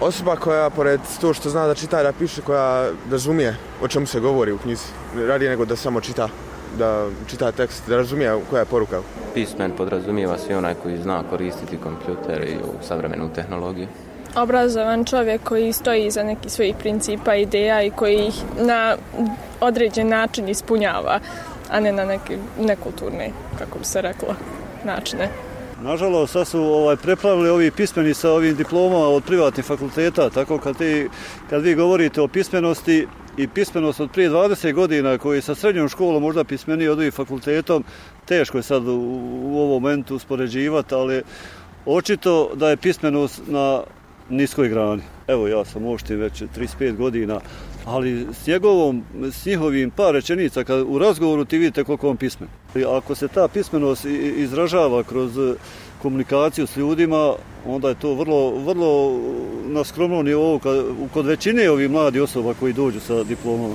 Osoba koja, pored to što zna da čita i da piše, koja razumije o čemu se govori u knjizi, radije nego da samo čita, da čita tekst, da razumije koja je poruka. Pismen podrazumijeva svi onaj koji zna koristiti kompjuter i savremenu tehnologiju. Obrazovan čovjek koji stoji iza nekih svojih principa, ideja i koji ih na određen način ispunjava, a ne na neke nekulturne, kako bi se reklo, načine. Nažalost, sad su prepravili ovi pismeni sa ovim diplomama od privatnih fakulteta, tako kad vi govorite o pismenosti i pismenost od prije 20 godina koji sa srednjom školom možda pismeniji od ovih fakultetom, teško je sad u ovom momentu uspoređivati, ali očito da je pismenost na niskoj grani. Evo, ja sam oštin već 35 godina, ali s njihovim par rečenica, kad u razgovoru ti vidite koliko on pismen. Ako se ta pismenost izražava kroz komunikaciju s ljudima, onda je to vrlo na skromnom nivou kod većine ovih mladih osoba koji dođu sa diplomama.